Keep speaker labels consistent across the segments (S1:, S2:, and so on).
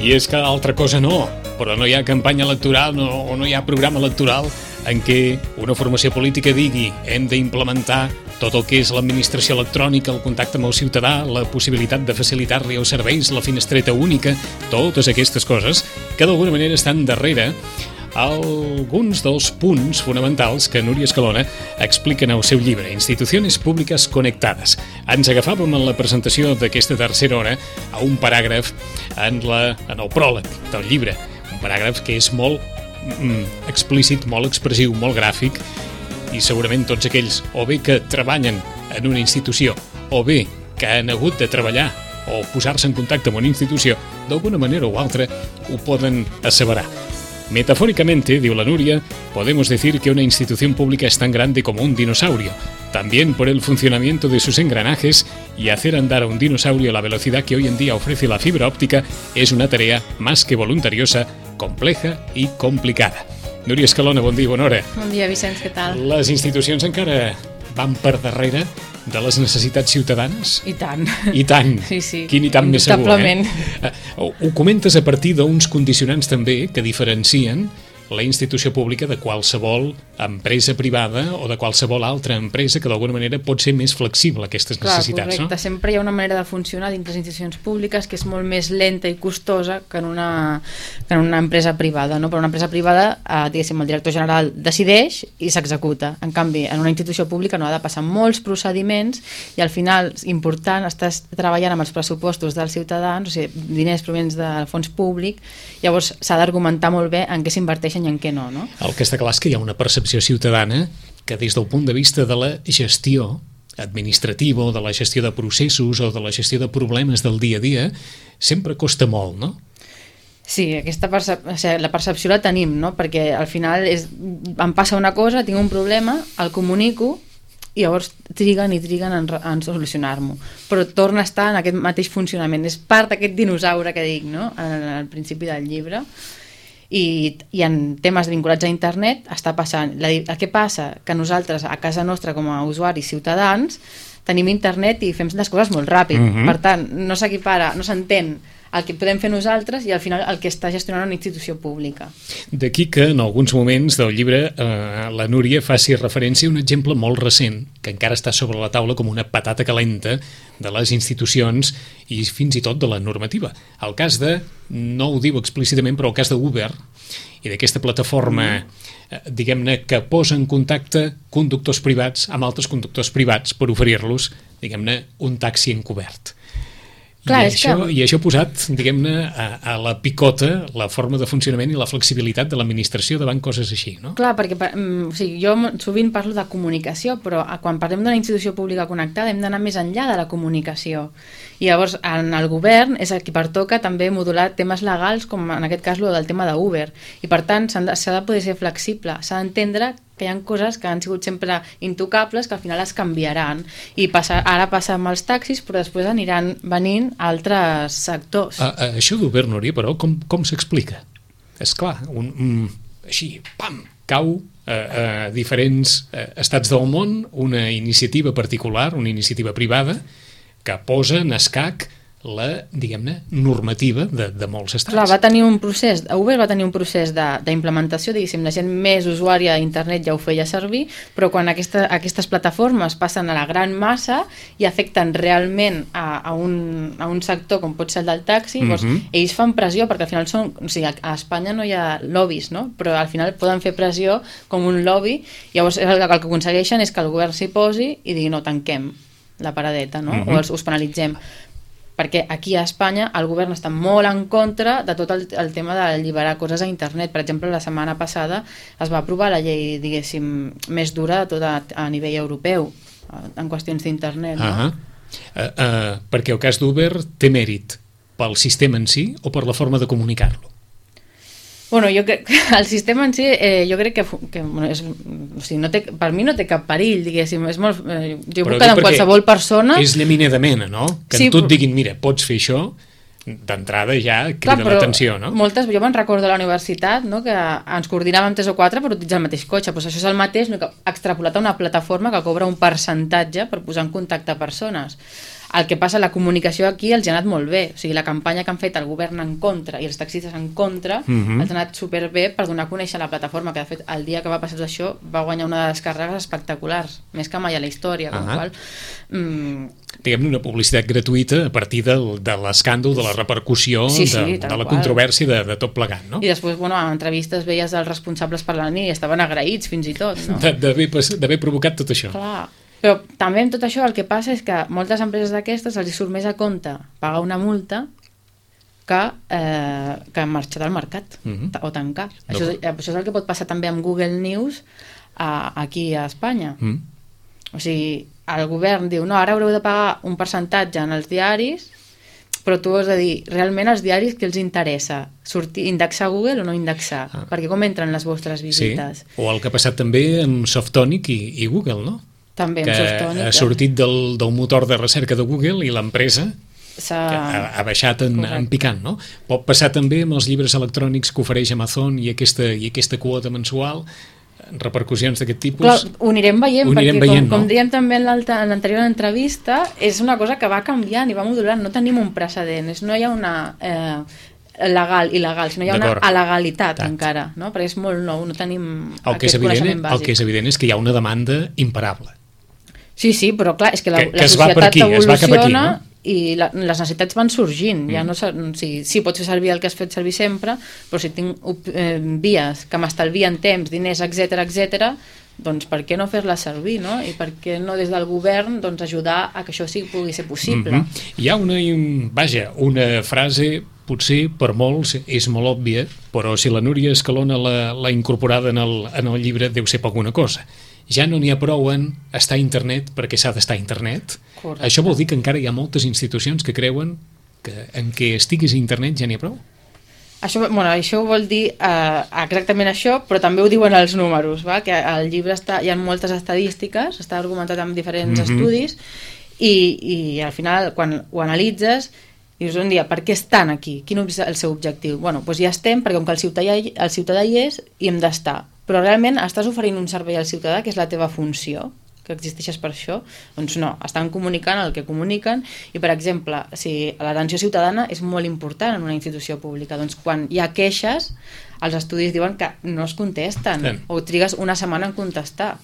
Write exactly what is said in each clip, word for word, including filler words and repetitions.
S1: I és que altra cosa no, però no hi ha campanya electoral no, o no hi ha programa electoral en què una formació política digui hem d'implementar tot el que és l'administració electrònica, el contacte amb el ciutadà, la possibilitat de facilitar-li els serveis, la finestreta única, totes aquestes coses que d'alguna manera estan darrere alguns dels punts fonamentals que Núria Escalona explica en el seu llibre Instituciones Públicas Conectadas. Ens agafàvem en la presentació d'aquesta tercera hora a un paràgraf en, la, en el pròleg del llibre, un paràgraf que és molt mm, explícit, molt expressiu, molt gràfic, i segurament tots aquells o bé que treballen en una institució o bé que han hagut de treballar o posar-se en contacte amb una institució d'alguna manera o altra ho poden asseverar. Metafóricamente, diu la Núria, podemos decir que una institución pública es tan grande como un dinosaurio, también por el funcionamiento de sus engranajes, y hacer andar a un dinosaurio a la velocidad que hoy en día ofrece la fibra óptica es una tarea más que voluntariosa, compleja y complicada. Núria Escalona, bon dia, bona hora.
S2: Bon dia, Vicenç, què tal?
S1: Les institucions encara van per darrere de les necessitats ciutadanes?
S2: I tant.
S1: I tant.
S2: Sí, sí.
S1: Quin i tant més segur, eh?
S2: eh?
S1: Ho comentes a partir d'uns condicionants també que diferencien la institució pública de qualsevol empresa privada o de qualsevol altra empresa que d'alguna manera pot ser més flexible a aquestes
S2: Clar,
S1: necessitats,
S2: correcte.
S1: no?
S2: Sempre hi ha una manera de funcionar dins les institucions públiques que és molt més lenta i costosa que en una, que en una empresa privada, no? Però una empresa privada, eh, diguéssim, el director general decideix i s'executa. En canvi, en una institució pública no ha de passar molts procediments i al final, important, estàs treballant amb els pressupostos dels ciutadans, o sigui, diners provenents del fons públic, llavors s'ha d'argumentar molt bé en què s'inverteixen i en què no, no?
S1: El que està clar és que hi ha una percepció ciutadana que des del punt de vista de la gestió administrativa o de la gestió de processos o de la gestió de problemes del dia a dia sempre costa molt, no?
S2: Sí, aquesta percep o sigui, la percepció la tenim, no? Perquè al final és, em passa una cosa, tinc un problema, el comunico i llavors triguen i triguen en, en solucionar-m'ho, però torna a estar en aquest mateix funcionament, és part d'aquest dinosaure que dic, no? Al, al principi del llibre. I, i en temes vinculats a internet està passant, la, el que passa que nosaltres a casa nostra com a usuaris ciutadans tenim internet i fem les coses molt ràpid, mm-hmm. Per tant no s'equipara, no s'entén el que podem fer nosaltres i al final el que està gestionant una institució pública.
S1: D'aquí que en alguns moments del llibre eh, la Núria faci referència a un exemple molt recent que encara està sobre la taula com una patata calenta de les institucions i fins i tot de la normativa. El cas de, no ho diu explícitament, però el cas d'Uber i d'aquesta plataforma eh, diguem-ne que posa en contacte conductors privats amb altres conductors privats per oferir-los, diguem-ne, un taxi encobert. Clar, I, això, que... I això ha posat, diguem-ne, a, a la picota la forma de funcionament i la flexibilitat de l'administració davant coses així, no?
S2: Clar, perquè o sigui, jo sovint parlo de comunicació, però quan parlem d'una institució pública connectada hem d'anar més enllà de la comunicació. I llavors, en el govern és a qui pertoca també modular temes legals, com en aquest cas el del tema d'Uber. I per tant, s'ha de, de poder ser flexible, s'ha d'entendre que hi ha coses que han sigut sempre intocables que al final es canviaran i passa, ara passa amb els taxis però després aniran venint altres sectors.
S1: A, a, això d'Uber, Núria, però com, com s'explica? És clar, un, un, així, pam, cau a, a diferents a, estats del món una iniciativa particular, una iniciativa privada que posa en escac la, diguem-ne, normativa de, de molts estats.
S2: Clar, va tenir un procés, Uber va tenir un procés d'implementació, diguéssim, la gent més usuària d'internet ja ho feia servir, però quan aquesta, aquestes plataformes passen a la gran massa i afecten realment a, a, un, a un sector com pot ser el del taxi, mm-hmm. doncs ells fan pressió, perquè al final són, o sigui, a Espanya no hi ha lobbies, no? Però al final poden fer pressió com un lobby, llavors el, el que aconsegueixen és que el govern s'hi posi i digui no, tanquem la paradeta, no? Mm-hmm. O els, us penalitzem. Perquè aquí a Espanya el govern està molt en contra de tot el, el tema d'alliberar coses a internet. Per exemple, la setmana passada es va aprovar la llei, diguéssim, més dura de tot a, a nivell europeu en qüestions d'internet. No?
S1: Uh-huh. uh, uh, perquè el cas d'Uber té mèrit pel sistema en si o per la forma de comunicar-lo?
S2: Bueno, jo crec que el sistema en si, eh, jo crec que, que bueno, és, o sigui, no té, per mi no té cap perill, diguéssim, és molt, eh, jo puc quedar amb qualsevol persona...
S1: És llaminer de mena, no? Que sí, en tu et diguin, mira, pots fer això, d'entrada ja crida l'atenció, no?
S2: Moltes, jo me'n recordo a la universitat, no?, que ens coordinàvem tres o quatre per utilitzar el mateix cotxe, doncs això és el mateix, no, que extrapolat a una plataforma que cobra un percentatge per posar en contacte persones. El que passa, la comunicació aquí els ha anat molt bé. O sigui, la campanya que han fet el govern en contra i els taxistes en contra
S1: uh-huh.
S2: els ha anat superbé per donar a conèixer la plataforma, que de fet el dia que va passar tot això va guanyar una descàrregues espectaculars, més que mai a la història, com
S1: uh-huh.
S2: qual... Mm,
S1: diguem-ne, una publicitat gratuïta a partir del, de l'escàndol, de la repercussió,
S2: sí, sí,
S1: de, de la controvèrsia de, de tot plegat, no?
S2: I després, bueno, en entrevistes veies els responsables parlant i estaven agraïts fins i tot, no?
S1: D'haver provocat tot això.
S2: Clar. Però també amb tot això el que passa és que moltes empreses d'aquestes els surt més a compte pagar una multa que, eh, que marxar del mercat uh-huh. o tancar. No. Això, això és el que pot passar també amb Google News a, aquí a Espanya. Uh-huh. O sigui, el govern diu, no, ara haureu de pagar un percentatge en els diaris, però tu has de dir, realment els diaris què els interessa? Sortir, indexar Google o no indexar? Ah. Perquè com entren les vostres visites?
S1: Sí. O el que ha passat també amb Softonic i, i Google, no?
S2: També
S1: que ha sortit del, del motor de recerca de Google i l'empresa ha, ha baixat en, en picant, no? Pot passar també amb els llibres electrònics que ofereix Amazon i aquesta, i aquesta quota mensual, repercussions d'aquest tipus.
S2: Clar, ho anirem veient,
S1: ho anirem
S2: perquè
S1: veient,
S2: com,
S1: no?
S2: com dèiem també en l'anterior entrevista, és una cosa que va canviant i va modulant, no tenim un precedent, no hi ha una... Eh, legal, il·legal, sinó hi ha una alegalitat encara, no? Perquè és molt nou, no tenim
S1: el aquest coneixement bàsic. El que és evident és que hi ha una demanda imparable.
S2: Sí, sí, però clar, és que la,
S1: que, que
S2: la societat
S1: aquí,
S2: evoluciona
S1: no?
S2: i la, les necessitats van sorgint. Mm. Ja no, sí, sí, pots fer servir el que has fet servir sempre, però si tinc eh, vies que m'estalvien temps, diners, etcètera, etcètera, doncs per què no fer-les servir, no? I per què no des del govern doncs, ajudar a que això sí pugui ser possible?
S1: Mm-hmm. Hi ha una, vaja, una frase, potser per molts és molt òbvia, però si la Núria Escalona l'ha incorporada en el, en el llibre deu ser poc una cosa. Ja no n'hi ha prou en estar a internet perquè s'ha d'estar a internet. Correcte. Això vol dir que encara hi ha moltes institucions que creuen que en què estiguis a internet ja n'hi ha prou?
S2: Això, bueno, això vol dir eh, exactament això, però també ho diuen els números, va? Que al llibre està, hi ha moltes estadístiques, està argumentat amb diferents mm-hmm. estudis, i, i al final, quan ho analitzes, dius un dia, per què estan aquí? Quin és el seu objectiu? Bueno, doncs ja estem, perquè com que el ciutadà, el ciutadà hi és, hi hem d'estar. Però realment estàs oferint un servei al ciutadà, que és la teva funció, que existeixes per això? Doncs no, estan comunicant el que comuniquen, i per exemple, si l'atenció ciutadana és molt important en una institució pública, doncs quan hi ha queixes, els estudis diuen que no es contesten, sí. O trigues una setmana en contestar.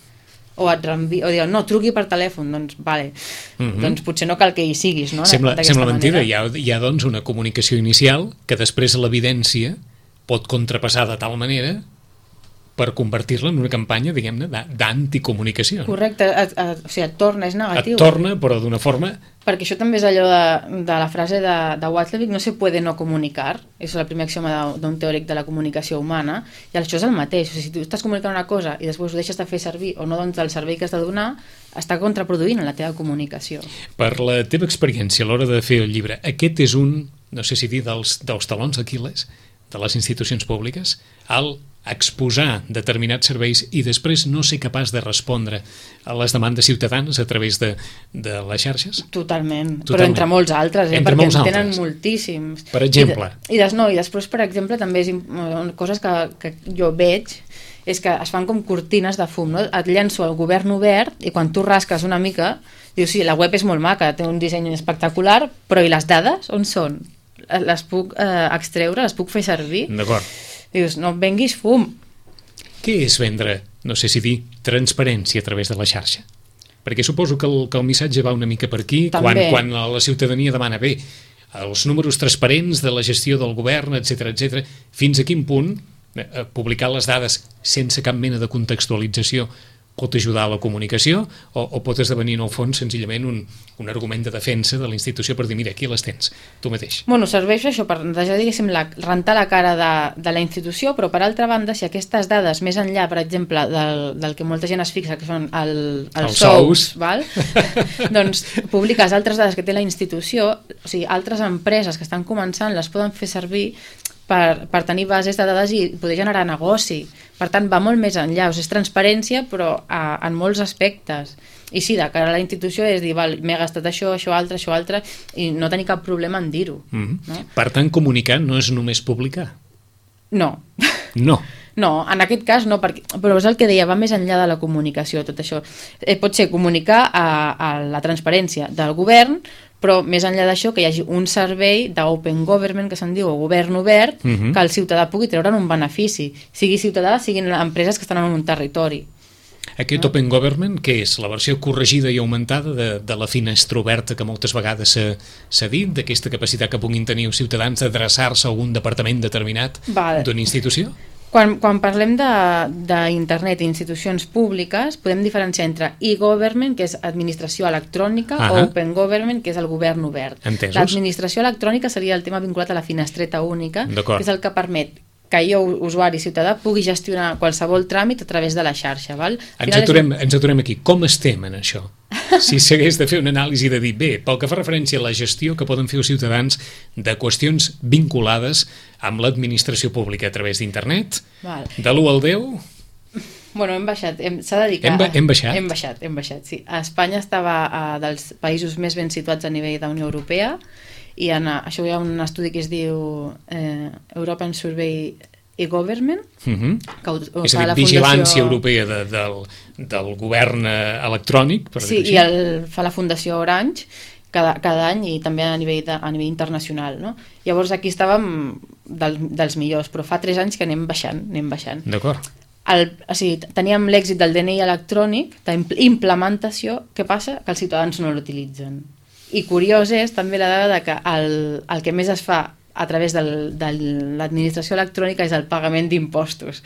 S2: O et reenvi... o diuen, no, truqui per telèfon, doncs vale, mm-hmm. doncs potser no cal que hi siguis, no?
S1: Sembla, sembla mentida, hi ha, hi ha doncs una comunicació inicial que després l'evidència pot contrapassar de tal manera per convertir-la en una campanya, diguem-ne, d'anticomunicació.
S2: Correcte, et, et, o sigui, et torna, és negatiu.
S1: Et torna, però d'una forma...
S2: Perquè això també és allò de, de la frase de, de Watzlawick, no se puede no comunicar, és el primer axioma d'un teòric de la comunicació humana, i això és el mateix, o sigui, si tu estàs comunicant una cosa i després ho deixes de fer servir o no dones el servei que has de donar, està contraproduint en la teva comunicació.
S1: Per la teva experiència a l'hora de fer el llibre, aquest és un, no sé si dir, dels, dels talons d'Aquil·les de les institucions públiques, al exposar determinats serveis i després no ser capaç de respondre a les demandes ciutadanes a través de, de les xarxes?
S2: Totalment, Totalment. Però entre molts altres, eh?
S1: Entre
S2: perquè
S1: molts
S2: en tenen
S1: altres.
S2: moltíssims.
S1: Per exemple?
S2: I, i, des, no, i després, per exemple, també és coses que, que jo veig, és que es fan com cortines de fum, no? Et llenço al govern obert i quan tu rasques una mica, dius, sí, la web és molt maca, té un disseny espectacular, però i les dades on són? Les puc eh, extreure, les puc fer servir?
S1: D'acord.
S2: Dius, no venguis fum.
S1: Què és vendre, no sé si dir, transparència a través de la xarxa? Perquè suposo que el, que el missatge va una mica per aquí, quan, quan la ciutadania demana, bé, els números transparents de la gestió del govern, etcètera, etcètera, fins a quin punt eh, publicar les dades sense cap mena de contextualització pot ajudar a la comunicació o, o pot esdevenir en el fons senzillament un, un argument de defensa de la institució per dir, mira, aquí les tens, tu mateix.
S2: Bueno, serveix això per ja, diguéssim, la, rentar la cara de, de la institució, però per altra banda, si aquestes dades, més enllà, per exemple, del, del que molta gent es fixa, que són el, els, els sous, sous. Val? Doncs publiques altres dades que té la institució, o sigui, altres empreses que estan començant les poden fer servir per, per tenir bases de dades i poder generar negoci. Per tant, va molt més enllà, o sigui, és transparència, però a, en molts aspectes. I sí, de cara a la institució és dir, val, m'he gastat això, això altre, això altre, i no tenir cap problema en dir-ho.
S1: Mm-hmm.
S2: No?
S1: Per tant, comunicar no és només publicar.
S2: No.
S1: No.
S2: No, en aquest cas no, perquè, però és el que deia, va més enllà de la comunicació, tot això. Eh, pot ser comunicar a, a la transparència del govern, però més enllà d'això que hi hagi un servei d'open government, que se'n diu, o govern obert, uh -huh. que el ciutadà pugui treure'n un benefici, sigui ciutadà, siguin empreses que estan en un territori.
S1: Aquest no? Open Government, què és? La versió corregida i augmentada de, de la finestra oberta que moltes vegades s'ha dit, d'aquesta capacitat que puguin tenir els ciutadans d'adreçar-se a algun departament determinat d'una institució?
S2: Quan, quan parlem d'internet i institucions públiques, podem diferenciar entre e-government, que és administració electrònica, uh -huh. o open government, que és el govern obert. L'administració electrònica seria el tema vinculat a la finestreta única, que és el que permet que jo, usuari ciutadà, pugui gestionar qualsevol tràmit a través de la xarxa. Val?
S1: Ens aturem, ens aturem aquí. Com estem en això? Si s'hagués de fer una anàlisi de dir, bé, pel que fa referència a la gestió que poden fer els ciutadans de qüestions vinculades amb l'administració pública a través d'internet, de l'u al deu...
S2: Bueno, hem baixat, s'ha de dir que...
S1: Hem, ba hem baixat?
S2: Hem baixat, hem baixat, sí. A Espanya estava uh, dels països més ben situats a nivell de Unió Europea, i en, això hi ha un estudi que es diu eh, European Survey e-Government,
S1: uh -huh.
S2: que ho, ho
S1: és a dir,
S2: la
S1: vigilància
S2: Fundació...
S1: europea de, del, del govern electrònic, per
S2: sí, i el, fa la Fundació Orange cada, cada any, i també a nivell, de, a nivell internacional, no? Llavors aquí estàvem del, dels millors, però fa tres anys que anem baixant, anem baixant.
S1: D'acord.
S2: El, o sigui, teníem l'èxit del D N I electrònic, d'implementació. Què passa? Que els ciutadans no l'utilitzen. I curiós és també la dada que el, el que més es fa a través del, de l'administració electrònica és el pagament d'impostos.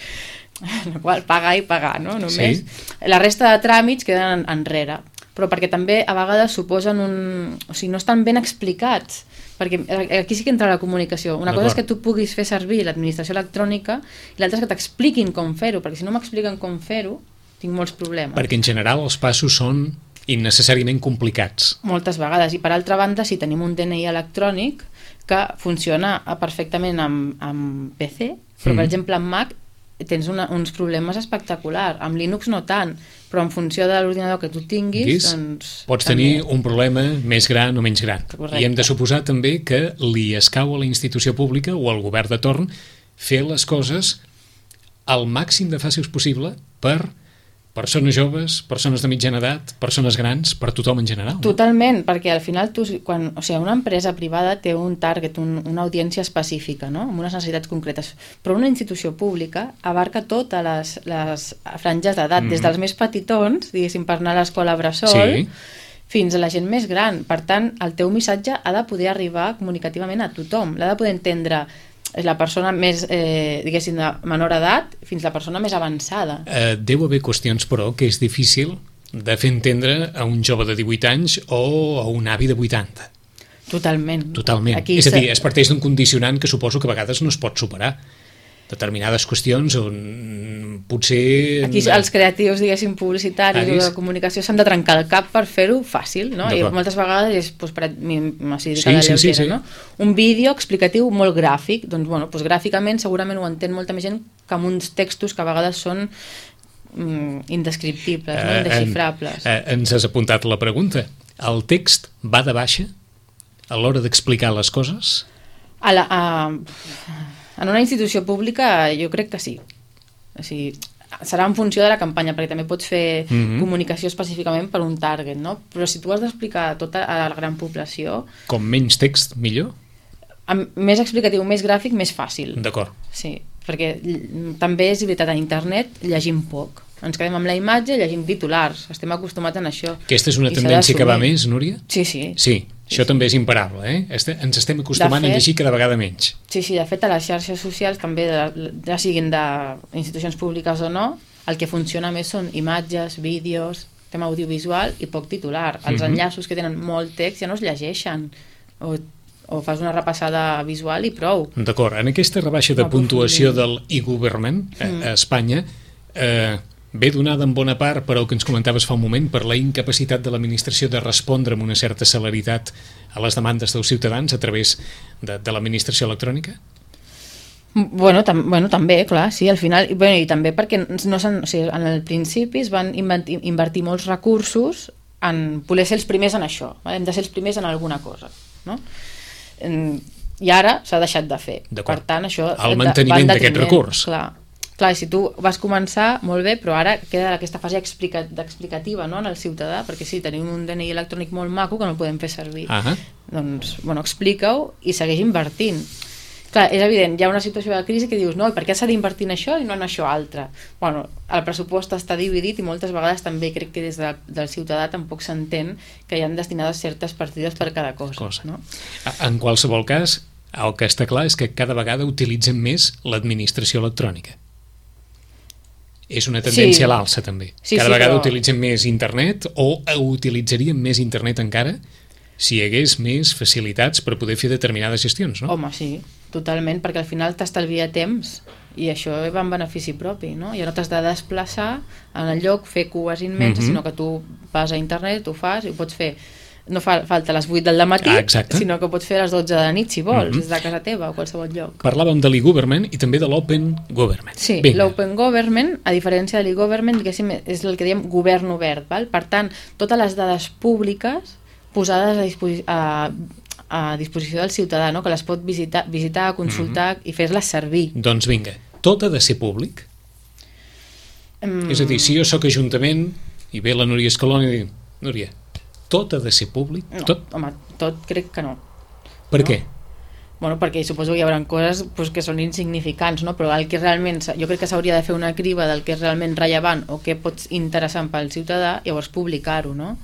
S2: El qual pagar i pagar, no? Només. Sí. La resta de tràmits queden enrere. Però perquè també a vegades suposen un... O sigui, no estan ben explicats. Perquè aquí sí que entra la comunicació. Una cosa és que tu puguis fer servir l'administració electrònica i l'altra és que t'expliquin com fer-ho, perquè si no m'expliquen com fer-ho, tinc molts problemes.
S1: Perquè en general els passos són innecessàriament complicats.
S2: Moltes vegades. I per altra banda, si tenim un D N I electrònic que funciona perfectament amb, amb P C, però mm. per exemple amb Mac tens una, uns problemes espectaculars. Amb Linux no tant, però en funció de l'ordinador que tu tinguis...
S1: Guis, doncs, pots també tenir un problema més gran o menys gran. Correcte. I hem de suposar també que li escau a la institució pública o al govern de torn fer les coses al màxim de fàcils possible per persones joves, persones de mitjana edat, persones grans, per tothom en general. No?
S2: Totalment, perquè al final tu, quan, o sigui, una empresa privada té un target, un, una audiència específica, no? Amb unes necessitats concretes, però una institució pública abarca totes les, les franges d'edat, mm. des dels més petitons, diguéssim, per anar a l'escola bressol, sí, fins a la gent més gran. Per tant, el teu missatge ha de poder arribar comunicativament a tothom, l'ha de poder entendre la persona més, eh, diguéssim, de menor edat fins la persona més avançada.
S1: Eh, deu haver qüestions, però, que és difícil de fer entendre a un jove de divuit anys o a un avi de vuitanta.
S2: Totalment.
S1: Totalment. Aquí és a dir, es parteix d'un condicionant que suposo que a vegades no es pot superar. Determinades qüestions on potser...
S2: Aquí els creatius, diguéssim, publicitaris o de comunicació s'han de trencar el cap per fer-ho fàcil, no? I moltes vegades és, doncs, per, o sigui, sí, sí, sí, sí. No? Un vídeo explicatiu molt gràfic, doncs, bueno, doncs, gràficament segurament ho entén molta més gent que amb uns textos que a vegades són mm, indescriptibles, uh, no? Indesxifrables.
S1: En, uh, ens has apuntat la pregunta. El text va de baixa a l'hora d'explicar les coses?
S2: A la... A... En una institució pública jo crec que sí. O sigui, serà en funció de la campanya, perquè també pots fer mm-hmm. comunicació específicament per un target, no? Però si tu has d'explicar a tota a la gran població...
S1: Com menys text, millor?
S2: Amb més explicatiu, més gràfic, més fàcil.
S1: D'acord.
S2: Sí, perquè també és veritat, a internet llegim poc. Ens quedem amb la imatge, llegim titulars. Estem acostumats a això.
S1: Aquesta és una tendència que va més, Núria?
S2: Sí, sí.
S1: Sí. Això també és imparable, eh? Ens estem acostumant fet, a llegir cada vegada menys.
S2: Sí, sí, de fet, a les xarxes socials també, ja siguin d'institucions públiques o no, el que funciona més són imatges, vídeos, tema audiovisual i poc titular. Els uh-huh. enllaços que tenen molt text ja no es llegeixen, o, o fas una repassada visual i prou.
S1: D'acord, en aquesta rebaixa de puntuació del e-government mm. a Espanya, eh, ve donada en bona part, però el que ens comentaves fa un moment, per la incapacitat de l'administració de respondre amb una certa celeritat a les demandes dels ciutadans a través de, de l'administració electrònica?
S2: Bueno, tam bueno, també, clar, sí, al final, bueno, i també perquè no o sigui, en el principi es van invertir, invertir molts recursos en voler ser els primers en això, vale? Hem de ser els primers en alguna cosa, no? I ara s'ha deixat de fer. Per tant, això...
S1: El manteniment d'aquest recurs.
S2: Clar. Clar, si tu vas començar, molt bé, però ara queda aquesta fase explica explicativa, no?, en el ciutadà, perquè sí, tenim un D N I electrònic molt maco que no el podem fer servir.
S1: Uh-huh.
S2: Doncs, bueno, explica-ho i segueix invertint. Clar, és evident, hi ha una situació de crisi que dius, no, i per què s'ha d'invertir en això i no en això altre? Bueno, el pressupost està dividit i moltes vegades també crec que des de, del ciutadà tampoc s'entén que hi han destinades certes partides per cada cosa. cosa. No?
S1: En qualsevol cas, el que està clar és que cada vegada utilitzen més l'administració electrònica. És una tendència sí. a l'alça també.
S2: Sí,
S1: cada
S2: sí,
S1: vegada
S2: però...
S1: utilitzen més internet o utilitzaríem més internet encara si hi hagués més facilitats per poder fer determinades gestions, no?
S2: Home, sí, totalment, perquè al final t'estalvia temps i això va en benefici propi, no? Ja no t'has de desplaçar en el lloc, fer cues immenses, mm-hmm. sinó que tu vas a internet, ho fas i ho pots fer. No fa falta a les vuit del matí,
S1: ah, sinó
S2: que pots fer a les dotze de la nit, si vols, mm-hmm. des de casa teva o qualsevol lloc.
S1: Parlàvem de l'e-government i també de l'open government.
S2: Sí, l'open government, a diferència de l'e-government, diguéssim, és el que diem govern obert, val? Per tant, totes les dades públiques posades a, disposi a, a disposició del ciutadà, no? Que les pot visitar, visitar consultar mm-hmm. i fer-les servir.
S1: Doncs vinga, tot ha de ser públic? Mm. És a dir, si jo sóc ajuntament i ve la Núria Escalona i diu, Núria, tot ha de ser públic?
S2: No,
S1: tot?
S2: home, tot crec que no.
S1: Per
S2: no?
S1: què?
S2: Bueno, perquè suposo que hi haurà coses pues, que són insignificants, no? Però el que realment, jo crec que s'hauria de fer una criba del que és realment rellevant o que pot interessant pel ciutadà, llavors publicar-ho, no?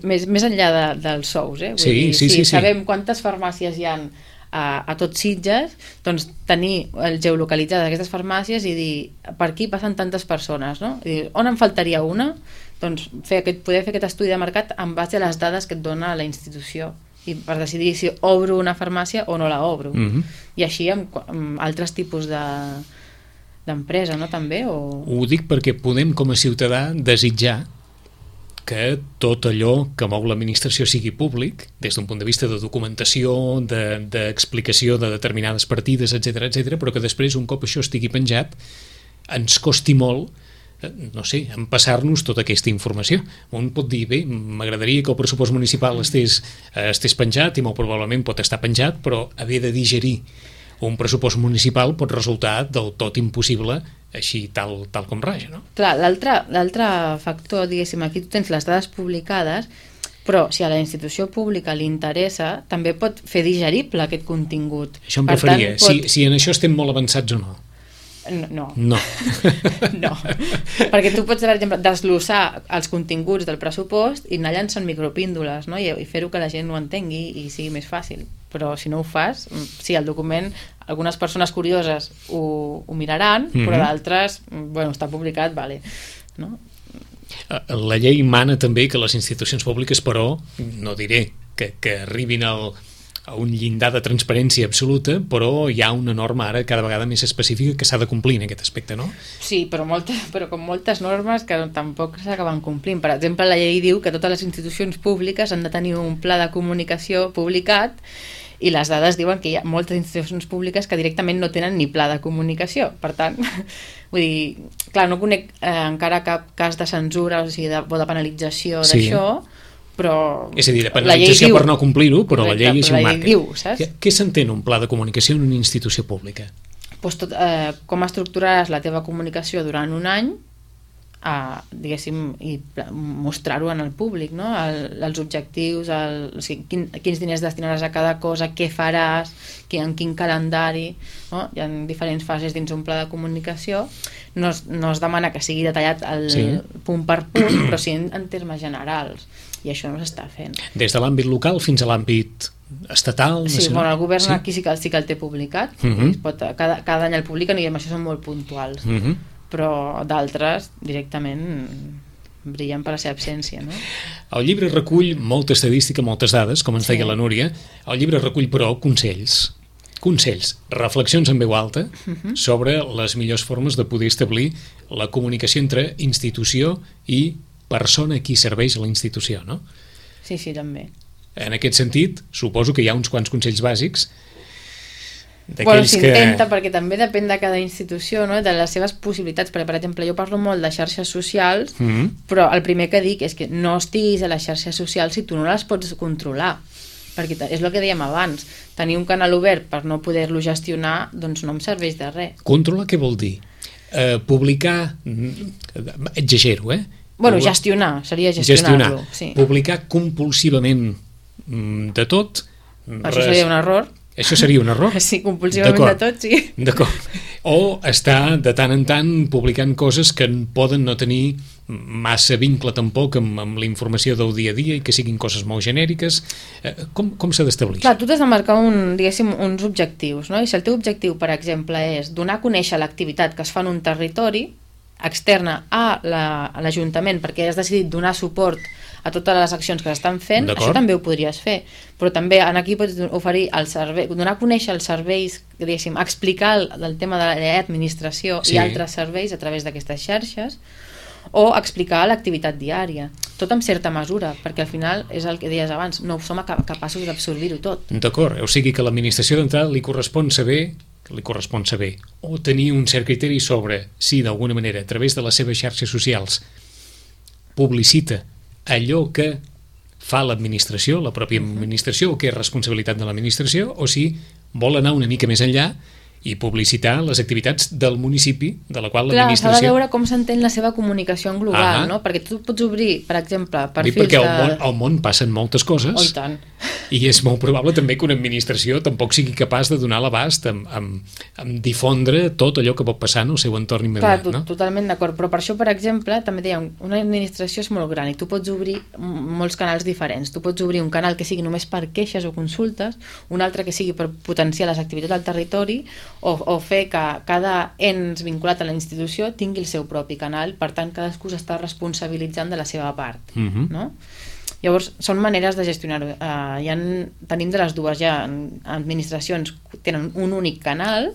S2: Més, més enllà de, dels sous, eh? Vull
S1: sí,
S2: dir,
S1: sí,
S2: si
S1: sí, sí.
S2: sabem quantes farmàcies hi ha a, a tots Sitges, doncs tenir el geolocalitzat d'aquestes farmàcies i dir, per aquí passen tantes persones, no? I dir, on em faltaria una? Doncs fer aquest, poder fer aquest estudi de mercat en base a les dades que et dona la institució i per decidir si obro una farmàcia o no la obro. Mm-hmm. I així amb, amb altres tipus de d'empresa, no? També, o...
S1: Ho dic perquè podem com a ciutadà desitjar que tot allò que mou l'administració sigui públic, des d'un punt de vista de documentació, d'explicació de, de determinades partides, etcètera, etcètera, però que després, un cop això estigui penjat, ens costi molt, no sé, empassar-nos tota aquesta informació. Un pot dir, bé, m'agradaria que el pressupost municipal estés, estés penjat, i molt probablement pot estar penjat, però haver de digerir un pressupost municipal pot resultar del tot impossible així tal, tal com raja, no?
S2: Clar, l'altre factor, diguéssim, aquí tu tens les dades publicades, però si a la institució pública li interessa, també pot fer digerible aquest contingut.
S1: Això em per referia, tant, pot... si, si en això estem molt avançats o no.
S2: No.
S1: No.
S2: No. Perquè tu pots, per exemple, desglossar els continguts del pressupost i anar llançant micropíndoles, no? I, i fer-ho que la gent ho entengui i sigui més fàcil. Però si no ho fas, sí, el document, algunes persones curioses ho, ho miraran, mm-hmm. però d'altres, bueno, està publicat, vale, no?
S1: La llei mana també que les institucions públiques, però, no diré que, que arribin al, a un llindar de transparència absoluta, però hi ha una norma ara cada vegada més específica que s'ha de complir en aquest aspecte, no?
S2: Sí, però, molta, però com moltes normes que tampoc s'acaben complint. Per exemple, la llei diu que totes les institucions públiques han de tenir un pla de comunicació publicat i les dades diuen que hi ha moltes institucions públiques que directament no tenen ni pla de comunicació. Per tant, vull dir, clar, no conec eh, encara cap cas de censura o, sigui, de, o de penalització sí. d'això, però...
S1: És a dir, de penalització per no complir-ho, però correcte, la llei així ho marca.
S2: Diu, saps?
S1: Què, què s'entén un pla de comunicació en una institució pública?
S2: Pues tot, eh, com estructuraràs la teva comunicació durant un any, a, diguéssim, i mostrar-ho en el públic, no? El, els objectius, el, o sigui, quin, quins diners destinaràs a cada cosa, què faràs, qui, en quin calendari, no? Hi ha diferents fases dins un pla de comunicació. No es, no es demana que sigui detallat el sí. punt per punt, però sí en, en termes generals, i això no s'està fent.
S1: Des de l'àmbit local fins a l'àmbit estatal?
S2: Sí,
S1: nacional.
S2: Bueno, el govern
S1: sí?
S2: aquí sí que, sí que el té publicat,
S1: uh-huh.
S2: es pot, cada, cada any el publiquen i això són molt puntuals.
S1: Uh-huh.
S2: Però d'altres directament brillen per la seva absència, no?
S1: El llibre recull molta estadística, moltes dades, com ens sí. deia la Núria. El llibre recull, però, consells. Consells, reflexions en veu alta uh-huh. sobre les millors formes de poder establir la comunicació entre institució i persona a qui serveix la institució, no?
S2: Sí, sí, també.
S1: En aquest sentit, suposo que hi ha uns quants consells bàsics.
S2: Bueno, s'intenta, que... perquè també depèn de cada institució, no? De les seves possibilitats, perquè per exemple jo parlo molt de xarxes socials, mm-hmm. però el primer que dic és que no estiguis a les xarxes socials si tu no les pots controlar, perquè és el que dèiem abans, tenir un canal obert per no poder-lo gestionar doncs no em serveix de res.
S1: Controlar què vol dir? eh, publicar, exagero, eh?
S2: Bueno, gestionar, seria gestionar-lo.
S1: Gestionar,
S2: sí.
S1: publicar compulsivament de tot.
S2: Això res... seria un error.
S1: Això seria un error?
S2: Sí, compulsivament de tot, sí.
S1: D'acord. O estar de tant en tant publicant coses que poden no tenir massa vincle tampoc amb, amb la informació del dia a dia i que siguin coses molt genèriques. Com, com s'ha d'establir?
S2: Clar, tu t'has de marcar un, diguéssim, uns objectius, no? I si el teu objectiu, per exemple, és donar a conèixer l'activitat que es fa en un territori externa a l'Ajuntament, la, perquè has decidit donar suport a totes les accions que s'estan fent, això també ho podries fer, però també en aquí pots oferir el servei, donar a conèixer els serveis, diguéssim, explicar el, el tema de l'administració sí. i altres serveis a través d'aquestes xarxes, o explicar l'activitat diària, tot amb certa mesura, perquè al final és el que deies abans, no som capaços d'absorbir-ho tot.
S1: D'acord, o sigui que a l'administració d'entrada li correspon saber li correspon saber o tenir un cert criteri sobre si d'alguna manera a través de les seves xarxes socials publicita allò que fa l'administració, la pròpia administració, o que és responsabilitat de l'administració, o si vol anar una mica més enllà i publicitar les activitats del municipi de la qual l'administració...
S2: Clar, s'ha de veure com s'entén la seva comunicació en global, ah no? Perquè tu pots obrir, per exemple, perfils de...
S1: Perquè al món, al món passen moltes coses.
S2: Oh, i tant.
S1: I és molt probable també que una administració tampoc sigui capaç de donar l'abast amb, amb, amb difondre tot allò que pot passar en el seu entorn immediat.
S2: Clar,
S1: no?
S2: Totalment d'acord, però per això, per exemple, també dèiem, una administració és molt gran i tu pots obrir molts canals diferents. Tu pots obrir un canal que sigui només per queixes o consultes, un altre que sigui per potenciar les activitats del territori, o, o fer que cada ens vinculat a la institució tingui el seu propi canal, per tant cadascú s'està responsabilitzant de la seva part, uh-huh. no? Llavors, són maneres de gestionar-ho. Uh, ja en, tenim de les dues, ja administracions que tenen un únic canal,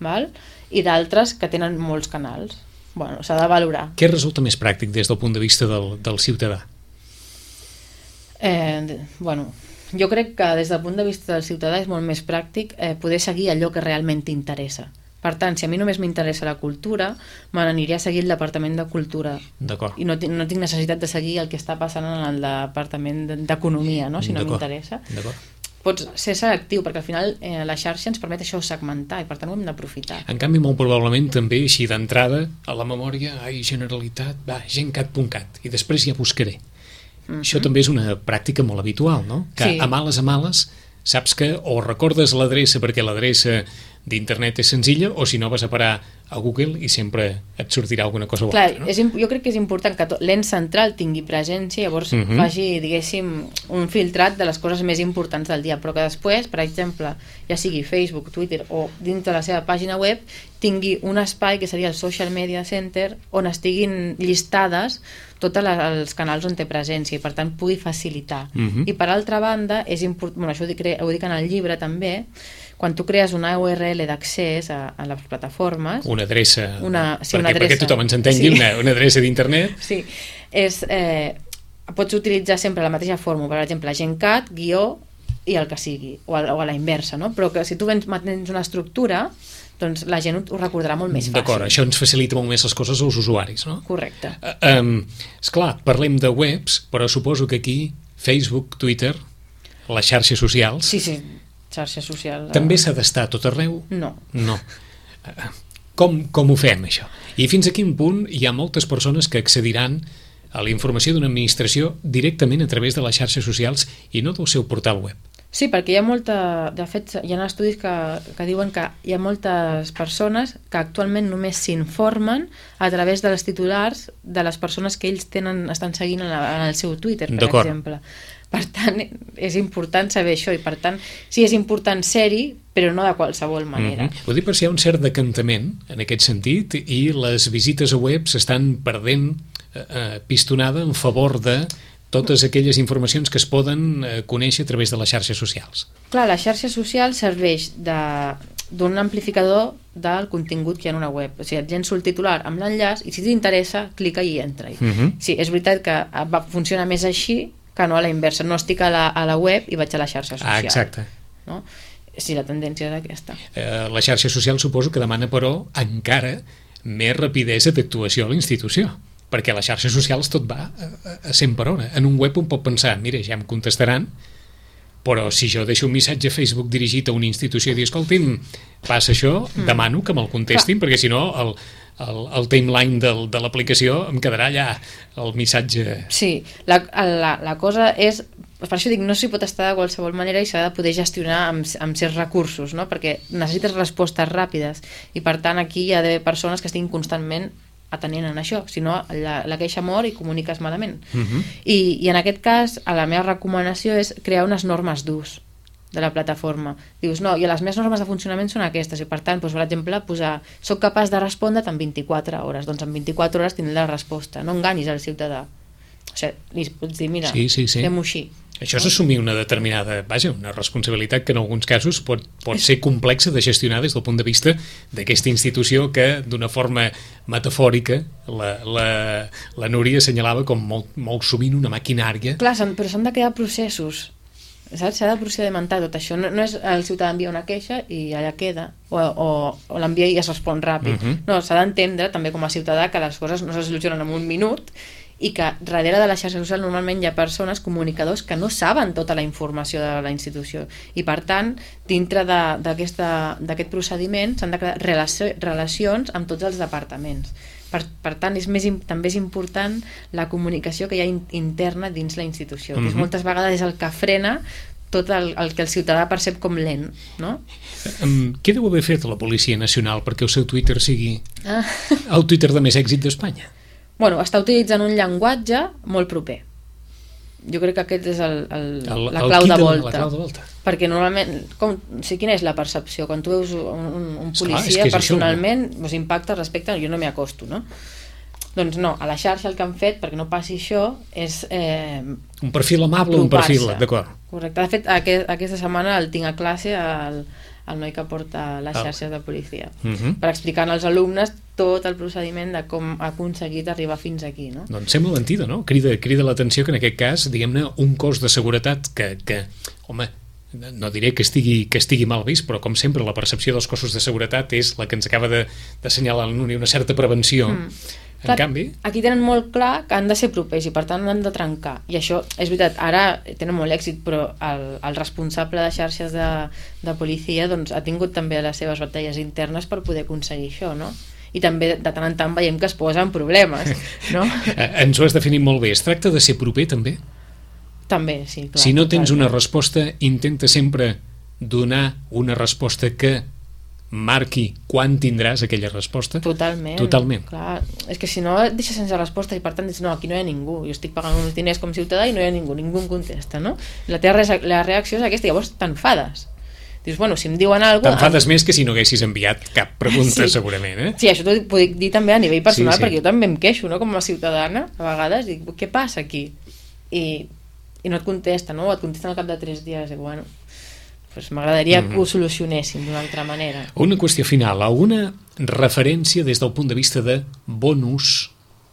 S2: val? I d'altres que tenen molts canals. Bueno, s'ha de valorar.
S1: Què resulta més pràctic des del punt de vista del, del ciutadà?
S2: Eh, bueno, jo crec que des del punt de vista del ciutadà és molt més pràctic eh, poder seguir allò que realment t'interessa. Per tant, si a mi només m'interessa la cultura, me n'aniré a seguir el Departament de Cultura.
S1: D'acord.
S2: I no, no tinc necessitat de seguir el que està passant en el Departament d'Economia, no? Si no m'interessa. Pots ser selectiu, perquè al final eh, la xarxa ens permet això segmentar i per tant ho hem d'aprofitar.
S1: En canvi, molt probablement també així d'entrada a la memòria, ai, Generalitat, va, gencat punt cat, i després ja buscaré. Mm-hmm. Això també és una pràctica molt habitual, no? Que sí. a males a males saps que o recordes l'adreça perquè l'adreça d'internet és senzilla, o si no vas a parar a Google i sempre et sortirà alguna cosa
S2: Clar,
S1: altra, no?
S2: és, jo crec que és important que l'ens central tingui presència, llavors uh -huh. faci, diguéssim, un filtrat de les coses més importants del dia, però que després, per exemple, ja sigui Facebook, Twitter o dins de la seva pàgina web, tingui un espai que seria el Social Media Center on estiguin llistades tots els canals on té presència i per tant pugui facilitar. Uh -huh. I per altra banda, és important, bueno, això ho dic, ho dic en el llibre també, quan tu crees una U R L d'accés a, a les plataformes...
S1: Una adreça,
S2: una, sí,
S1: perquè,
S2: una adreça,
S1: perquè tothom ens entengui, sí. una, una adreça d'internet.
S2: Sí, és, eh, pots utilitzar sempre la mateixa fórmula, per exemple, gencat, guió i el que sigui, o a, o a la inversa, no? Però que si tu tens una estructura, doncs la gent ho recordarà molt més fàcil.
S1: D'acord, això ens facilita molt més les coses als usuaris, no?
S2: Correcte.
S1: Uh, um, esclar, parlem de webs, però suposo que aquí Facebook, Twitter, les xarxes socials...
S2: Sí, sí, xarxes socials...
S1: També s'ha d'estar a tot arreu?
S2: No.
S1: No. Uh, com, com ho fem, això? I fins a quin punt hi ha moltes persones que accediran a la informació d'una administració directament a través de les xarxes socials i no del seu portal web?
S2: Sí, perquè hi ha molta... De fet, hi ha estudis que, que diuen que hi ha moltes persones que actualment només s'informen a través de les titulars de les persones que ells tenen, estan seguint en, la, en el seu Twitter, per exemple. Per tant, és important saber això i per tant, sí, és important ser-hi, però no de qualsevol manera.
S1: Mm-hmm. Ho dic per si hi ha un cert decantament en aquest sentit i les visites a web s'estan perdent eh, pistonada en favor de totes aquelles informacions que es poden eh, conèixer a través de les xarxes socials.
S2: Clar, la xarxa social serveix d'un amplificador del contingut que hi ha en una web. O sigui, et llenço el titular amb l'enllaç i si t'interessa, clica i entra-hi. Uh-huh. Sí, és veritat que va funcionar més així que no a la inversa. No estic a la, a la web i vaig a la xarxa social.
S1: Ah, exacte.
S2: No? Sí, la tendència és aquesta.
S1: Eh, la xarxa social suposo que demana, però, encara més rapidesa d'actuació a la institució, perquè a les xarxes socials tot va a cent per hora. En un web un pot pensar, mira, ja em contestaran, però si jo deixo un missatge a Facebook dirigit a una institució i dir, escolti'm, passa això, mm. demano que me'l contestin, Clar. perquè si no el, el, el timeline del, de l'aplicació, em quedarà allà el missatge.
S2: Sí, la, la, la cosa és, per això dic, no s'hi pot estar de qualsevol manera i s'ha de poder gestionar amb, amb certs recursos, no? Perquè necessites respostes ràpides i per tant aquí hi ha d'haver persones que estiguin constantment atenent en això, si no la, la queixa mor i comuniques malament. Uh-huh. I, I en aquest cas, a la meva recomanació és crear unes normes d'ús de la plataforma. Dius, no, i les meves normes de funcionament són aquestes, i per tant, doncs, per exemple, posar, soc capaç de respondre en vint-i-quatre hores, doncs en vint-i-quatre hores tindré la resposta, no enganyis al ciutadà. O sigui, li pots dir, mira,
S1: sí, sí, sí.
S2: fem-ho així.
S1: Això és assumir una determinada, vaja, una responsabilitat que en alguns casos pot, pot ser complexa de gestionar des del punt de vista d'aquesta institució que, d'una forma metafòrica, la, la, la Núria assenyalava com molt, molt sovint una maquinària.
S2: Clar, però s'han de crear processos, saps? S'ha de procedimentar tot això. No, no és el ciutadà envia una queixa i allà queda, o, o, o l'envia i es respon ràpid. Uh-huh. No, s'ha d'entendre també com a ciutadà que les coses no se solucionen en un minut i que darrere de la xarxa social normalment hi ha persones, comunicadors, que no saben tota la informació de la institució i per tant, dintre d'aquest procediment s'han de crear relació, relacions amb tots els departaments. Per, per tant, és més, també és important la comunicació que hi ha in, interna dins la institució, mm-hmm. que és, moltes vegades és el que frena tot el, el que el ciutadà percep com lent, no?
S1: Um, què deu haver fet la Policia Nacional perquè el seu Twitter sigui
S2: ah.
S1: el Twitter de més èxit d'Espanya?
S2: Bueno, està utilitzant un llenguatge molt proper. Jo crec que aquest és el, el, el, la, clau de volta,
S1: la clau de volta.
S2: Perquè normalment, com, o sigui, quina és la percepció? Quan tu veus un, un, un policia,
S1: Esclar,
S2: personalment, això, no? Us impacta respecte, jo no m'hi acosto, no? Doncs no, a la xarxa el que han fet, perquè no passi això, és... Eh,
S1: un perfil amable, un perfil, d'acord.
S2: Correcte. De fet, aquest, aquesta setmana el tinc a classe al, al noi que porta les xarxes de policia, uh-huh. per explicar als alumnes tot el procediment de com ha aconseguit arribar fins aquí, no?
S1: Doncs sembla mentida, no? Crida, crida l'atenció que en aquest cas, diguem-ne, un cos de seguretat que, que home, no diré que estigui, que estigui mal vist, però com sempre la percepció dels cossos de seguretat és la que ens acaba d'assenyalar de, una certa prevenció. Mm. En
S2: clar,
S1: canvi...
S2: Aquí tenen molt clar que han de ser propers i per tant han de trencar. I això, és veritat, ara tenen molt èxit, però el, el responsable de xarxes de, de policia doncs, ha tingut també les seves batalles internes per poder aconseguir això, no? I també de tant en tant veiem que es posen problemes, no?
S1: Ens ho has definit molt bé. Es tracta de ser proper, també?
S2: També, sí, clar.
S1: Si no tens una resposta, intenta sempre donar una resposta que marqui quan tindràs aquella resposta.
S2: Totalment.
S1: Totalment.
S2: Clar, és que si no et deixes sense resposta i per tant dius, no, aquí no hi ha ningú, jo estic pagant uns diners com ciutadà i no hi ha ningú, ningú em contesta, no? La teva la reacció és aquesta, llavors t'enfades. Dius, bueno, si em diuen alguna cosa...
S1: T'enfades em... més que si no haguessis enviat cap pregunta, sí. segurament, eh?
S2: Sí, això t'ho puc dir també a nivell personal,
S1: sí, sí.
S2: perquè jo també em queixo, no?, com a ciutadana, a vegades, dic, què passa aquí? I, i no et contesta, no? O et contesten al cap de tres dies, i bueno... Pues m'agradaria mm-hmm. que ho solucionéssim d'una altra manera.
S1: Una qüestió final, alguna referència des del punt de vista de bon ús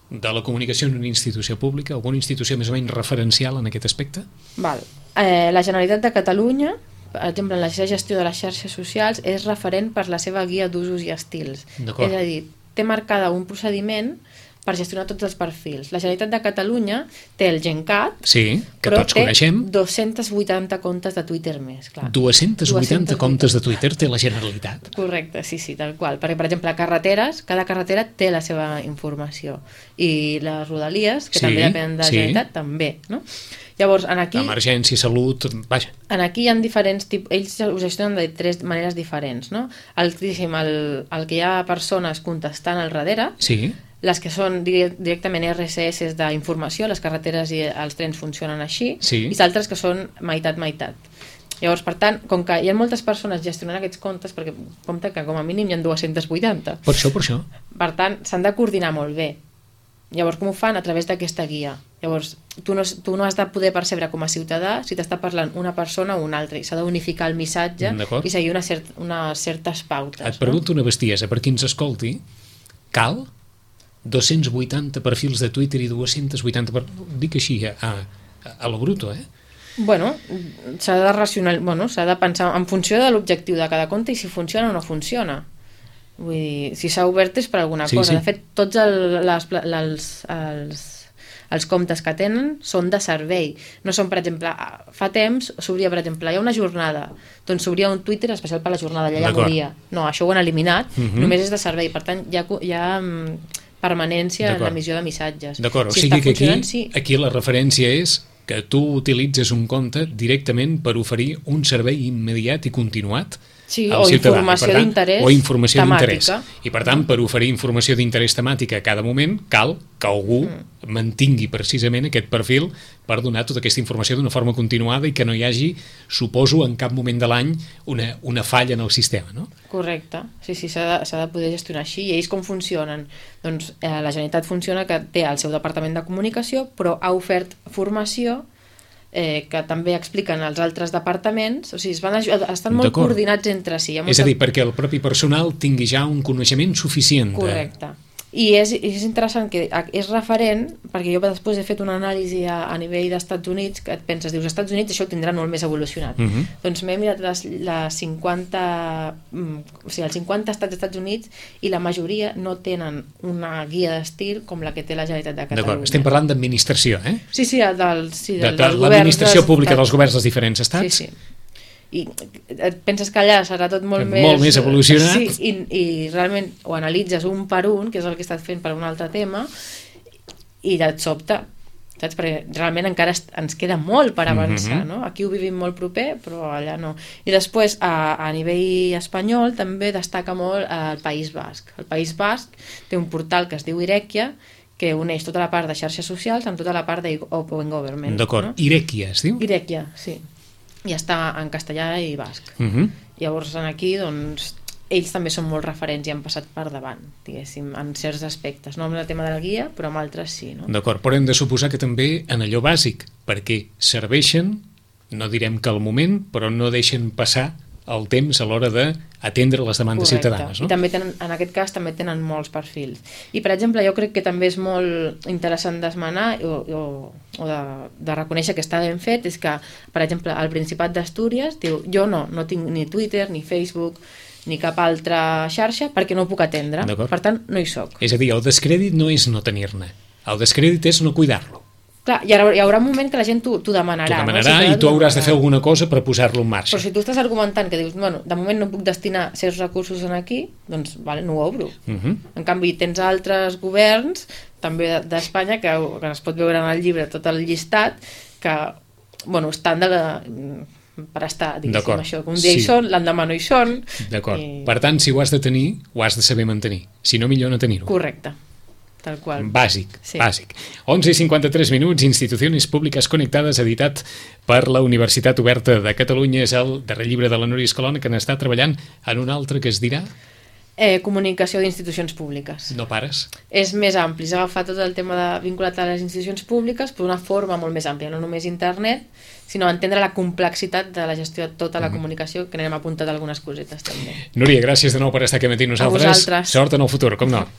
S1: de la comunicació en una institució pública, alguna institució més o menys referencial en aquest aspecte?
S2: Val. Eh, la Generalitat de Catalunya, per exemple, en la seva gestió de les xarxes socials, és referent per la seva guia d'usos i estils. És a dir, té marcada un procediment per gestionar tots els perfils. La Generalitat de Catalunya té el GenCat,
S1: sí, que
S2: però
S1: tots coneixem.
S2: Té dos-cents vuitanta comptes de Twitter més. Clar.
S1: dos-cents vuitanta comptes de Twitter té la Generalitat.
S2: Correcte, sí, sí, tal qual. Perquè, per exemple, carreteres, cada carretera té la seva informació. I les rodalies, que sí, també depenen de la
S1: sí.
S2: Generalitat, també, no? Llavors, en aquí...
S1: Emergència, salut, vaja.
S2: En aquí hi ha diferents tipus... Ells ho gestionen de tres maneres diferents, no? El, el, el que hi ha persones contestant al darrere...
S1: Sí.
S2: Les que són directament R S S d'informació, les carreteres i els trens funcionen així,
S1: sí.
S2: i altres que són meitat-meitat. Llavors, per tant, com que hi ha moltes persones gestionant aquests comptes, perquè compte que com a mínim hi ha dos-cents vuitanta.
S1: Per això, per això.
S2: Per tant, s'han de coordinar molt bé. Llavors, com ho fan? A través d'aquesta guia. Llavors, tu no, tu no has de poder percebre com a ciutadà si t'està parlant una persona o una altra, i s'ha d'unificar el missatge i seguir una cert, unes certes pautes.
S1: Et pregunto no? una bestiesa, per qui ens escolti, cal... dos-cents vuitanta perfils de Twitter i dos-cents vuitanta... Per... Dic així, a, a, a lo bruto, eh?
S2: Bueno, s'ha de racional... bueno, s'ha de pensar en funció de l'objectiu de cada compte i si funciona o no funciona. Vull dir, si s'ha obert és per alguna
S1: sí,
S2: cosa.
S1: Sí.
S2: De fet, tots el, les, les, els, els comptes que tenen són de servei. No són, per exemple, fa temps s'obria, per exemple, hi ha una jornada, doncs s'obria un Twitter especial per la jornada, allà ja moria. No, això ho han eliminat, uh-huh. només és de servei, per tant, hi ha, hi ha permanència en l'emissió de missatges.
S1: D'acord, si o sigui que aquí, sí. aquí la referència és que tu utilitzes un compte directament per oferir un servei immediat i continuat
S2: sí,
S1: al
S2: o
S1: ciutadà.
S2: Informació
S1: tant,
S2: d'interès
S1: o informació d'interès.
S2: temàtica.
S1: I per tant, per oferir informació d'interès temàtica a cada moment, cal que algú mm. mantingui precisament aquest perfil per donar tota aquesta informació d'una forma continuada i que no hi hagi, suposo, en cap moment de l'any una, una falla en el sistema, no?
S2: Correcte. Sí, sí, s'ha de, s'ha de poder gestionar així. I ells com funcionen? Doncs eh, la Generalitat funciona que té el seu departament de comunicació, però ha ofert formació eh, que també expliquen els altres departaments, o sigui, es van ajudar, estan molt coordinats entre si.
S1: És a dir, perquè el propi personal tingui ja un coneixement suficient.
S2: Correcte. De... I és, és interessant que és referent, perquè jo després he fet una anàlisi a, a nivell d'Estats Units, que et penses, dius, als Estats Units això ho tindran molt més evolucionat. Uh-huh. Doncs m'he mirat les, les cinquanta, o sigui, els cinquanta estats dels Estats Units i la majoria no tenen una guia d'estil com la que té la Generalitat de Catalunya.
S1: D'acord, estem parlant d'administració, eh?
S2: Sí, sí, del, sí del,
S1: de, de l'administració pública dels governs dels diferents estats.
S2: Sí, sí. I et penses que allà serà tot molt més...
S1: Molt més evolucionat.
S2: Sí, i, i realment ho analitzes un per un, que és el que he estat fent per un altre tema, i et sobta, saps? Perquè realment encara ens queda molt per avançar, mm-hmm. no? Aquí ho vivim molt proper, però allà no. I després, a, a nivell espanyol, també destaca molt el País Basc. El País Basc té un portal que es diu Irekia, que uneix tota la part de xarxes socials amb tota la part d'Open Government.
S1: D'acord, no? Irekia es diu?
S2: Irekia, sí. I està en castellà i basc.
S1: Uh-huh.
S2: Llavors, aquí, doncs, ells també són molt referents i han passat per davant, diguéssim, en certs aspectes. No amb el tema de la guia, però amb altres sí. No?
S1: D'acord, però hem de suposar que també en allò bàsic, perquè serveixen, no direm que al moment, però no deixen passar el temps a l'hora d'atendre les demandes
S2: Correcte.
S1: ciutadanes. No?
S2: I també tenen, en aquest cas també tenen molts perfils. I, per exemple, jo crec que també és molt interessant d'esmenar o, o, o de, de reconèixer que està ben fet, és que, per exemple, al Principat d'Astúries diu, jo no, no tinc ni Twitter, ni Facebook, ni cap altra xarxa, perquè no ho puc atendre. Per tant, no hi soc.
S1: És a dir, el descrèdit no és no tenir-ne. El descrèdit és no cuidar-lo.
S2: Clar, hi haurà, hi haurà un moment que la gent t'ho demanarà.
S1: T'ho demanarà, no? Si i tu hauràs de fer alguna cosa per posar-lo en marxa.
S2: Però si tu estàs argumentant que dius, bueno, de moment no puc destinar certs recursos en aquí, doncs vale, no ho obro. Uh-huh. En canvi, tens altres governs, també d'Espanya, que, que es pot veure en el llibre tot el llistat, que, bueno, estan de... per estar, diguéssim, això. Un dia sí. hi són, l'endemà no hi són.
S1: D'acord. I... Per tant, si ho has de tenir, ho has de saber mantenir. Si no, millor no tenir-ho.
S2: Correcte. Tal qual.
S1: Bàsic,
S2: sí.
S1: bàsic. onze i cinquanta-tres minuts, Institucions Públiques Connectades, editat per la Universitat Oberta de Catalunya. És el darrer llibre de la Núria Escalona, que n'està treballant en un altre que es dirà...
S2: Eh, comunicació d'institucions públiques.
S1: No pares?
S2: És més ampli, és agafar tot el tema de, vinculat a les institucions públiques per una forma molt més àmplia, no només internet, sinó entendre la complexitat de la gestió de tota la mm. comunicació, que n'hem apuntat algunes cosetes també.
S1: Núria, gràcies de nou per estar aquí amb nosaltres.
S2: A vosaltres.
S1: Sort en el futur, com no.